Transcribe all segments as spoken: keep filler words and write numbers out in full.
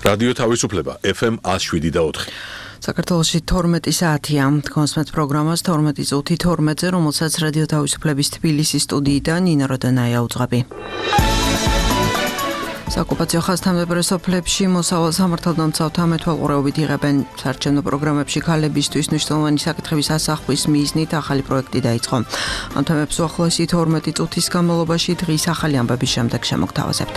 რადიო თავისუფლება ეფ ემ one oh seven და four. საქართველოში თორმეტი საათია. კონსმეთ პროგრამას თორმეტი წუთი თორმეტზე, რომელსაც რადიო თავისუფლების თბილისის სტუდიიდან ნინა როდანაია უძღვები. საკუპაციო ხაზთამდებარე სოფლებში მოსავალ სამართალდამცავთა მეთვალყურეობით იღებენ საარჩევნო პროგრამებში ქალებისთვის მნიშვნელოვანი საკითხების ასახვის მიზნით ახალი პროექტი დაიწყო. ამ თემებს უახლოესი თორმეტი წუთის განმავლობაში დღის ახალი ამბების შემდეგ შემოგთავაზებთ.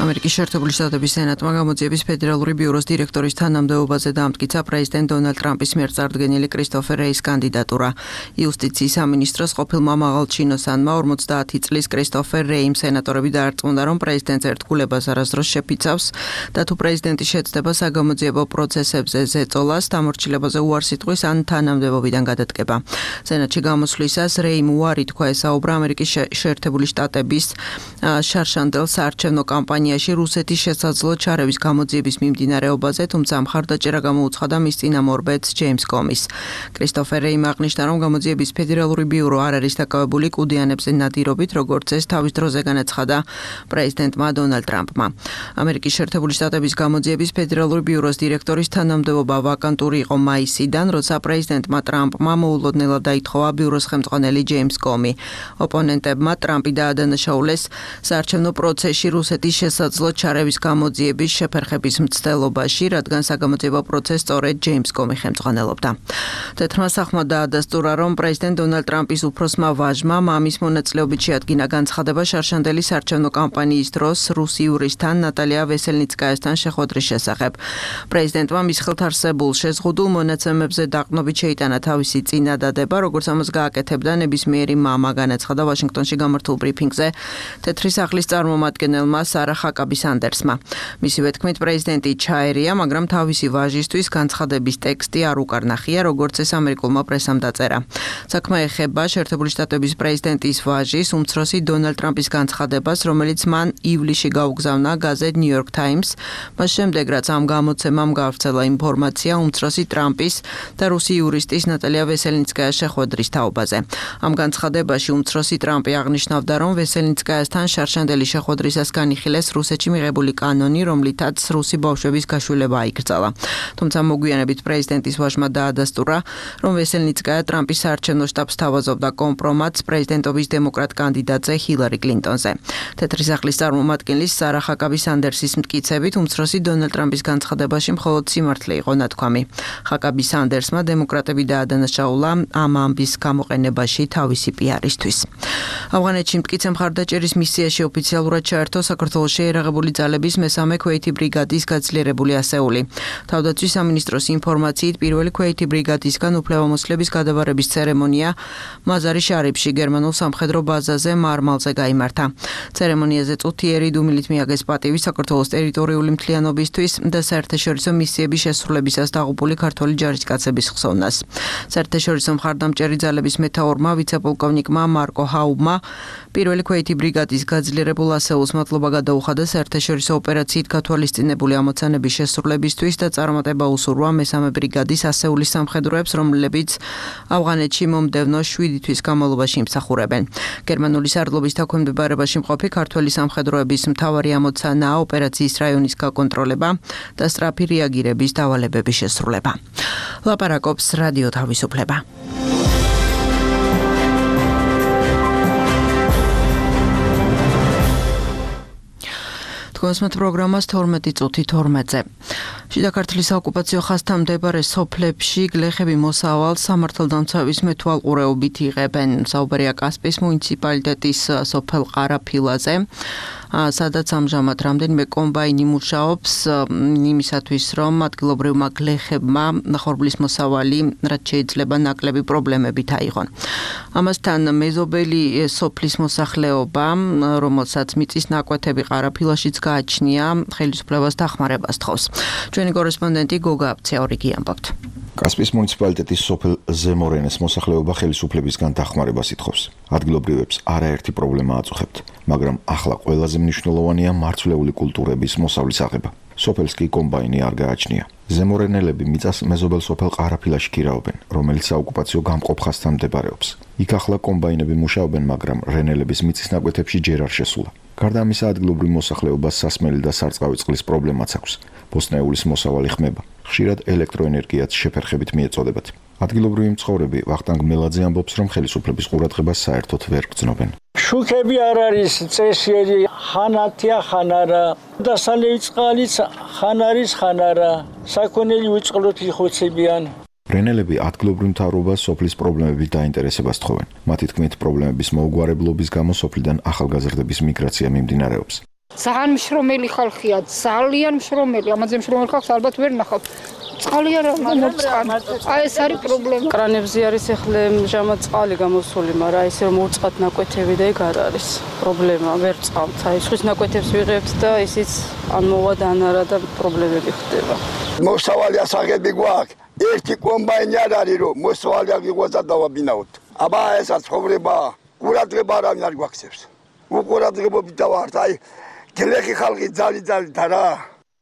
ამერიკის შეერთებული შტატების სენატმა გამოძიების ფედერალური ბიუროს დირექტორის თანამდებობაზე დაამტკიცა პრეზიდენტ დონალდ ტრამპის მიერ წარდგენილი კრისტოფერ რეის კანდიდატურა. იუსტიციის სამინისტროს ყოფილმა მაღალჩინოსანმა ორმოცდაათი წლის კრისტოფერ რეიმ სენატორები დაარწმუნა, რომ პრეზიდენტს ერთგულებას არასდროს შეფიცავს და თუ პრეზიდენტი შეცდება საგამოძიებო პროცესებზე ზეწოლას, დამორჩილებაზე უარს იტყვის ან თანამდებობიდან გადადგება. სენატში გამოსვლისას რეიმ უარი თქვა ესაუბრა ამერიკის შეერთებული შტატების შარშანდელ საარჩევნო კამპანიაში რუსეთის შესაძლო ჩარევის გამოძიების მიმდინარეობაზე, თუმცა მხარდაჭერა გამოუცხადა მის წინამორბედს ჯეიმს კომის. კრისტოფერ რეიმ აღნიშნა, რომ გამოძიების ფედერალური ბიურო არ არის დაკავებული კუდიანებზე ნადირობით, როგორც ეს თავის დროზე განაცხადა პრეზიდენტმა დონალდ ტრამპმა. ამერიკის შეერთებული შტატების გამოძიების ფედერალური ბიუროს დირექტორის თანამდებობა ვაკანტური იყო მაისიდან, როცა პრეზიდენტმა ტრამპმა მოულოდნელად დაითხოვა ბიუროს ხელმძღვანელი ჯეიმს კომი. ოპონენტებმა ტრამპი დაადანაშაულეს საარჩევნო პროცესში რუსეთის შესაძლო ჩარევის გამოძიების შეფერხების მცდელობაში, რადგან საგამოძიებო პროცესს სწორედ ჯეიმს კომი ხელმძღვანელობდა. თეთრმა სახმა დაადასტურა, რომ პრეზიდენტ დონალდ ტრამპის უფროსმა ვაჟმა მამის მონაწილეობით შეადგინა განცხადება შარშანდელი საარჩევნო კამპანიის დროს რუსი იურისტთან ნატალია ვესელნიცკაიასთან შეხვედრის შესახებ. პრეზიდენტმა მის ხელთ არსებულ შეზღუდულ მონაცემებზე დაყრდნობით შეიტანა თავისი წინადადება, როგორც ამას გააკეთებდა ნებისმიერი მამა, განაცხადა ვაშინგტონში გამართულ ბრიფინგზე თეთრი სახლის წარმომადგენელმა სარა ჰაკაბი სანდერსმა. მისივე თქმით, პრეზიდენტი ჩაერია, მაგრამ თავისი ვაჟისთვის განცხადების ტექსტი არ უკარნახია, როგორც ეს ამერიკულმა პრესამ დაწერა. საქმე ეხება შეერთებული შტატების პრეზიდენტის ვაჟის, უმცროსი დონალდ ტრამპის განცხადებას, რომელიც მან ივლისში გაუგზავნა გაზეთ New York Times, მას შემდეგ, რაც ამ გამოცემამ გაავრცელა ინფორმაცია უმცროსი ტრამპის და რუსი იურისტის ნატალია ვესელნიცკაიას შეხვედრის თაობაზე. ამ განცხადებაში უმცროსი ტრამპი აღნიშნავდა, რომ ვესელნიცკაიასთან შარშანდელი შეხვედრისას განიხილეს რუსეთში მიღებული კანონი, რომლითაც რუსი ბავშვების გაშვილება აიკრძალა. თუმცა მოგვიანებით პრეზიდენტის ვაჟმა დაადასტურა, რომ ვესელნიცკაია ტრამპის საარჩევნო შტაბს თავაზობდა კომპრომატს პრეზიდენტობის დემოკრატ კანდიდატზე ჰილარი კლინტონზე. თეთრი სახლის წარმომადგენლის სარა ჰაკაბი სანდერსის მტკიცებით, უმცროსი დონალდ ტრამპის განცხადებაში მხოლოდ სიმართლე იყო ნათქვამი. ჰაკაბი სანდერსმა დემოკრატები დაადანაშაულა ამ ამბის გამოყენებაში თავისი პიარისთვის. ავღანეთში მტკიცე მხარდაჭერის მისიაში ოფიციალურად ჩაერთო საქართველოს შეერაღებული ძალების მესამე ქვეითი ბრიგადის გაძლიერებული ასეული. თავდაცვის სამინისტროს ინფორმაციით, პირველი ქვეითი ბრიგადისგან უფლებამოსილების გადაბარების ცერემონია მაზარი შარიფში გერმანულ სამხედრო ბაზაზე მარმალზე გაიმართა. ცერემონიაზე წუთიერი დუმილით მიაგეს პატივი საქართველოს ტერიტორიული მთლიანობისთვის და საერთაშორისო მისიების შესრულებისას დაღუპული ქართველი ჯარისკაცების ხსოვნას. საერთაშორისო მხარდამჭერი ძალების მეთაურმა ვიცე-პოლკოვნიკმა მარკო ჰაუბმა პირველი ქვეითი ბრიგადის გაძლიერებულ ასეულს მადლობა გადაუხადა საერთაშორისო ოპერაციით გათვალისწინებული ამოცანების შესრულებისთვის და წარმატება უსურვა მესამე ბრიგადის ასეულის სამხედროებს, რომლებიც ავღანეთში მომდევნო შვიდი თვის განმავლობაში იმსახურებენ. გერმანული სარდლობის დაქვემდებარებაში მყოფი ქართველი სამხედროების მთავარი ამოცანაა ოპერაციის რაიონის გაკონტროლება და სწრაფი რეაგირების დავალებების შესრულება. ლაპარაკობს რადიო თავისუფლება. კონსმეთ პროგრამას თორმეტი წუთი თორმეტზე. შიდა ქართლის საოკუპაციო ხაზთან მდებარე სოფლებში გლეხები მოსავალ სამართალდამცავის მეთვალყურეობით იღებენ. საუბარია კასპიის მუნიციპალიტეტის სოფელ ყარაფილაზე, სადაც ამჟამად რამდენიმე კომბაინი მუშაობს იმისათვის, რომ ადგილობრივმა გლეხებმა ხორბლის მოსავალი რაც შეიძლება ნაკლები პრობლემებით აიღონ. ამასთან მეზობელი სოფლის მოსახლეობა, რომელსაც მიწის ნაკვეთები ყარაფილაშიც გააჩნია, ხელისუფლებას დახმარებას თხოვს. ჩვენი კორესპონდენტი გოგა აბცეორიგი ამბობთ. კასპიის მუნიციპალიტეტის სოფელ ზემორენეს მოსახლეობა ხელისუფლებისგან დახმარებას ითხოვს. ადგილობრივებს არაერთი პრობლემა აწუხებთ, მაგრამ ახლა ყველაზე მნიშვნელოვანია მარცვლეული კულტურების მოსავლის აღება. სოფელს კი კომბაინი არ გააჩნია. ზემორენელები მიწას მეზობელ სოფელ ყარაფილაში ქირაობენ, რომელიც საოკუპაციო გამყოფ ხაზთან მდებარეობს. იქ ახლა კომბაინები მუშაობენ, მაგრამ რენელების მიწის ნაკვეთებში ჯერ არ შესულა. გარდა ამისა, ადგილობრივ მოსახლეობას სასმელი და სარწყავი წყლის პრობლემაც აქვს. ბოსტნეულის მოსავალი ხმება. ხშირად ელექტროენერგიაც შეფერხებით მიეწოდებათ. ადგილობრივი მცხოვრები ვახტანგ მელაძე ამბობს, რომ ხელისუფლების ყურადღებას საერთოდ ვერ გრძნობენ. შუქები არ არის წესიერი, ხან ათია, ხან არა. დასალევი წყალიც ხან არის, ხან არა. საქონელი უწყლოდ იხოცებიან. რენელები ადგილობრივ მთავრობას სოფლის პრობლემებით დაინტერესებას თხოვენ. მათი თქმით, პრობლემების მოუგვარებლობის გამო სოფლიდან ახალგაზრდების მიგრაცია მიმდინარეობს. ძალიან მშრომელი ხალხია, ძალიან მშრომელი, ამაზე მშრომელი ხალხს ალბათ ვერ ნახავთ. წყალი არ არის, აი ეს არის პრობლემა. კრანებზე არის ახლა ჟამად წყალი გამოსული, მაგრამ ისე რომ უწყად ნაკვეთები და ეგ არ არის პრობლემა, ვერ წყავთ. აი სხვის ნაკვეთებს ვიღებთ და ისიც ან მოვა და ან არა და პრობლემები ხდება. მოსავალი ასაღები გვაქვს. ერთი კომბაინი არ არის, რომ მოსავალი აღიღვაძა დავაბინაოთ. აბა ესა ცხოვრება, ყურადღება არავინ არ გვაქცევს. უყურადღებობით დავართ, აი გლეხი ხალხი ძალი ძალი და რა.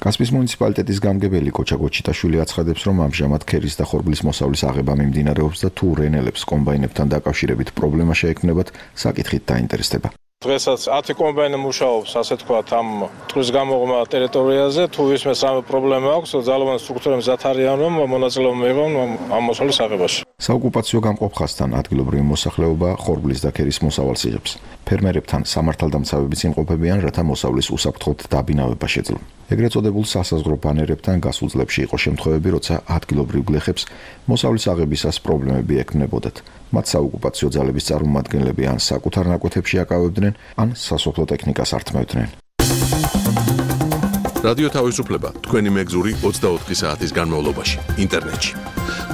კასპის მუნიციპალიტეტის გამგებელი კოჩა გოჩიტაშვილი აცხადებს, რომ ამჟამად ქერის და ხორბლის მოსავლის აღება მიმდინარეობს და თუ რენელებს კომბაინებთან დაკავშირებით პრობლემა შეექმნებათ, საკითხით დაინტერესდება. დღესაც ათი კომბაინი მუშაობს, ასე თქვათ, ამ ტყვის გამოღმა ტერიტორიაზე, თუ ვისმეს ამ პრობლემა აქვს, ძალოვანი სტრუქტურები მზად არიან, რომ მონაწილეობა მიიღონ ამ მოსავლის აღებაში. საოკუპაციო გამყოფ ხაზთან ადგილობრივი მოსახლეობა ხორბლის და ქერის მოსავალს იღებს. ფერმერებთან სამართალდამცავებიც იმყოფებიან, რათა მოსავლის უსაფრთხოდ დაბინავება შეძლონ. ეგრეთ წოდებულ სასაზღვრო ბანერებთან გასულ წლებში იყო შემთხვევები, როცა ადგილობრივ გლეხებს მოსავლის აღებისას პრობლემები ექმნებოდათ. მათ საოკუპაციო ძალების წარმომადგენლები ან საკუთარ ნაკვეთებში აკავებდნენ, ან სასოფლო ტექნიკას ართმევდნენ. რადიო თავისუფლება თქვენი მეგზური ოცდაოთხი საათის განმავლობაში ინტერნეტში.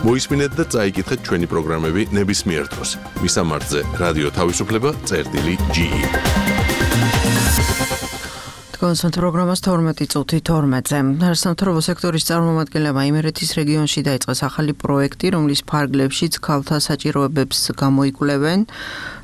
მოისმინეთ და წაიკითხეთ ჩვენი პროგრამები ნებისმიერ დროს. მისამართზე რადიო თავისუფლება წერტილი ჯი ი. კონსულტ პროგრამას თორმეტი წუთი თორმეტზე. სამთავრობო სექტორის წარმომადგენლებმა იმერეთის რეგიონში დაიწყეს ახალი პროექტი, რომლის ფარგლებშიც ქალთა საჭიროებებს გამოიკვლევენ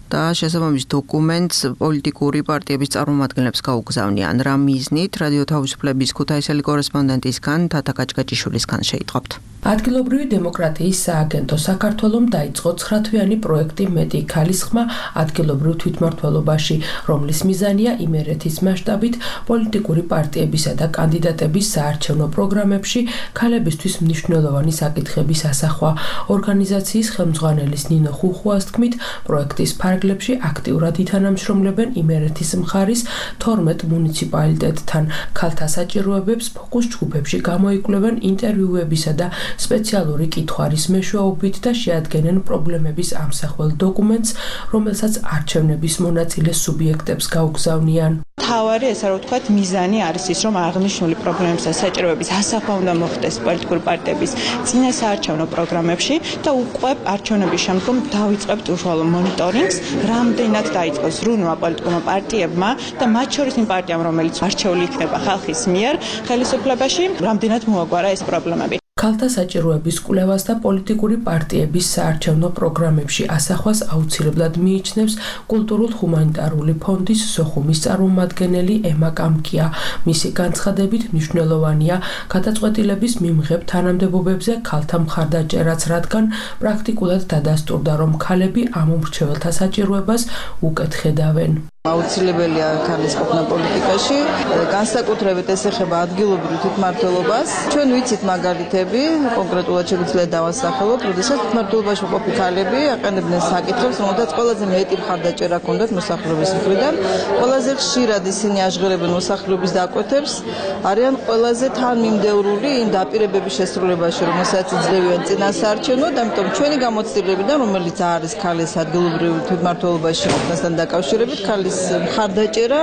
და შესაბამის დოკუმენტს პოლიტიკური პარტიების წარმომადგენლებს გაუგზავნიან. რა მიზნით? რადიო თავისუფლების ქუთაისელი კორესპონდენტისგან თათა კაჭკაჭიშვილისგან შეიტყობთ. ადგილობრივი დემოკრატიის სააგენტო საქართველომ დაიწყო ცხრათვიანი პროექტი მეტი ქალის ხმა ადგილობრივ თვითმმართველობაში, რომლის მიზანია იმერეთის მასშტაბით პოლიტიკური პარტიებისა და კანდიდატების საარჩევნო პროგრამებში ქალებისთვის მნიშვნელოვანი საკითხების ასახვა. ორგანიზაციის ხელმძღვანელის ნინო ხუხუას თქმით, პროექტის ფარგლებში აქტიურად ითანამშრომლებენ იმერეთის მხარის თორმეტ მუნიციპალიტეტთან. ქალთა საჭიროებებს ფოკუს ჯგუფებში გამოიკვლევენ ინტერვიუებისა და სპეციალური კითხვარის მეშვეობით და შეადგენენ პრობლემების ამსახველ დოკუმენტს, რომელსაც არჩევნების მონაწილე სუბიექტებს გაუგზავნიან. თავარი ესა რომ ვთქვათ, მიზანი არის ის, რომ აღნიშნული პრობლემების და საჭიროებების ასახვა უნდა მოხდეს პოლიტიკური პარტიების წინა საარჩევნო პროგრამებში და უკვე არჩევნების შემდგომ დავიწყებთ უშუალო მონიტორინგს, რამდენად დაიწყოს ზრუნვა პოლიტიკურმა პარტიებმა და მათ შორის იმ პარტიამ, რომელიც არჩეული იქნება ხალხის მიერ ხელისუფლებაში, რამდენად მოაგვარა ეს პრობლემები. ქალთა საჭიროების კვლევას და პოლიტიკური პარტიების საარჩევნო პროგრამებში ასახვას აუცილებლად მიიჩნევს კულტურულ-ჰუმანიტარული ფონდის სოხუმის წარმომადგენელი ემა კამკია. მისი განცხადებით მნიშვნელოვანია გადაწყვეტილების მიმღებ თანამდებობებზე ქალთა მხარდაჭერაც, რადგან პრაქტიკულად დადასტურდა, რომ ქალები ამ უმრჩეველთა საჭიროებას უკეთ ხედავენ. აუცილებელია ქალის ყოფნა პოლიტიკაში, განსაკუთრებით ეს ეხება ადგილობრივ თვითმმართველობას. ჩვენ ვიცით მაგალითები, კონკრეტულად შეგვიძლია დავასახელოთ, როდესაც თვითმმართველობაში ყოფი ქალები აყენებდნენ საკითხებს, რომელთაც ყველაზე მეტი მხარდაჭერა ჰქონდათ მოსახლეობის მხრიდან. ყველაზე ხშირად ისინი აჟღერებენ მოსახლეობის დაკვეთებს, არიან ყველაზე თანმიმდევრული იმ დაპირებების შესრულებაში, რომელსაც იძლევიან წინასაარჩევნოდ, ამიტომ ჩვენი გამოცდილებიდან, რომელიც არის ქალის ადგილობრივ თვითმმართველობაში ყოფნასთან დაკავშირებით, ქალის მხარდაჭერა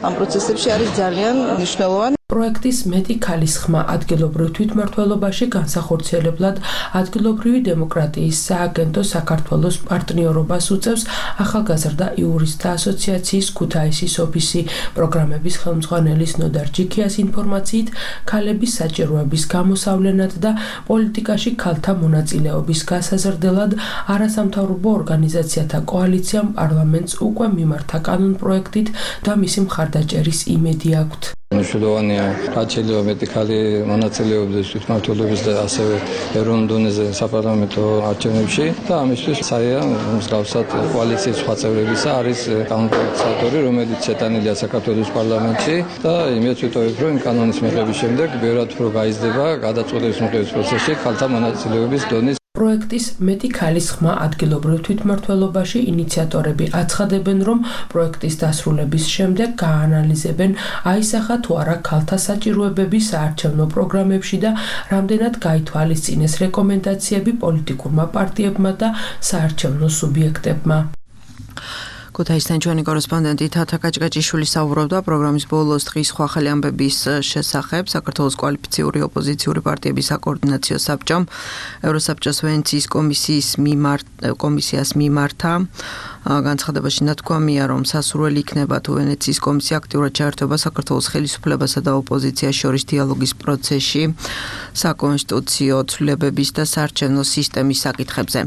ამ პროცესებში არის ძალიან მნიშვნელოვანი. პროექტის მეტი ქალის ხმა ადგილობრივ თვითმმართველობაში განსახორციელებლად ადგილობრივი დემოკრატიის სააგენტო საქართველოს პარტნიორობას უწევს ახალგაზრდა იურისტთა ასოციაციის ქუთაისის ოფისი. პროგრამების ხელმძღვანელის ნოდარ ჯიქიას ინფორმაციით, ქალების საჭიროების გამოსავლენად და პოლიტიკაში ქალთა მონაწილეობის გასაზრდელად არასამთავრობო ორგანიზაციათა კოალიციამ პარლამენტს უკვე მიმართა კანონპროექტით და მისი მხარდაჭერის იმედი აქვთ. მნიშვნელოვანია რაც შეიძლება მეტი ხალი მონაწილეობდეს თვითმმართველობის და ასევე ეროვნულ დონეზე საპარლამენტო არჩევნებში და ამისთვის საია მსგავსად კოალიციის სხვა წევრებისა არის კანონის ავტორი, რომელიც შეტანილია საქართველოს პარლამენტში და იმედს ვიტოვებ, რომ კანონის მიღების შემდეგ ბევრად უფრო გაიზრდება გადაწყვეტილების მიღების პროცესში ხალხთა მონაწილეობის დონის პროექტის მეტი ქალის ხმა ადგილობრივ თვითმმართველობაში ინიციატორები აცხადებენ, რომ პროექტის დასრულების შემდეგ გაანალიზებენ, აისახა თუ არა ქალთა საჭიროებები საარჩევნო პროგრამებში და რამდენად გაითვალისწინეს რეკომენდაციები პოლიტიკურმა პარტიებმა და საარჩევნო სუბიექტებმა. ქუთაისთან ჩვენი კორესპონდენტი თათა კაჭკაჭიშვილი საუბრობდა პროგრამის ბოლოს დღის სხვა ახალი ამბების შესახებ. საქართველოს კვალიფიციური ოპოზიციური პარტიების საკოორდინაციო საბჭომ ევროსაბჭოს ვენეციის კომისიის მიმართ კომისიას მიმართა განცხადებაში ნათქვამია, რომ სასურველი იქნება თუ ვენეციის კომისია აქტიურად ჩაერთვება საქართველოს ხელისუფლებასა და ოპოზიციას შორის დიალოგის პროცესში საკონსტიტუციო ცვლილებების და საარჩევნო სისტემის საკითხებზე.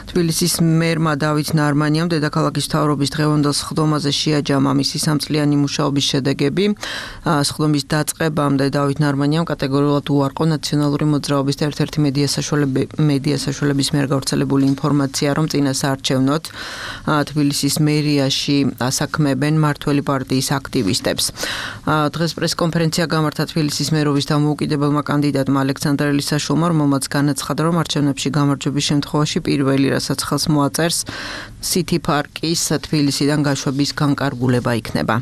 თბილისის მერმა დავით ნარმანიამ დედაქალაქის მთავრობის დღევანდელ სხდომაზე შეაჯამა მისი სამწლიანი მუშაობის შედეგები. სხდომის დაწყებამდე დავით ნარმანიამ კატეგორიულად უარყო ნაციონალური მოძრაობის და ერთ-ერთი მედია მედია საშუალების მიერ გავრცელებული ინფორმაცია, რომ წინა საარჩევნოდ თბილისის მერიაში ასაქმებენ მართველი პარტიის აქტივისტებს. დღეს პრესკონფერენცია გამართა თბილისის მერობის დამოუკიდებელმა კანდიდატმა ალექსანდრე ლისაშვილმა, რომელმაც განაცხადა, რომ არჩევნებში გამარჯვების შემთხვევაში პირველი, რასაც ხელს მოაწერს სიტი პარკის თბილისიდან გაშვების განკარგულება იქნება.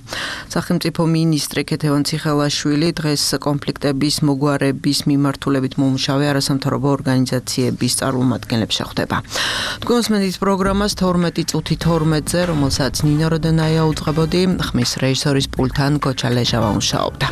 სახელმწიფო მინისტრი ქეთევან ციხელაშვილი დღეს კონფლიქტების მოგვარების მიმართულებით მომუშავე არასამთავრობო ორგანიზაციების წარმომადგენლებს შეხვდება. თქვენს პროგრამას თორმეტი წუთი თორმეტზე, რომელსაც ნინო როდენაია უძღვებოდი, ხმის რეჟისორის პულტთან გოჩა ლეჟავა მუშაობდა.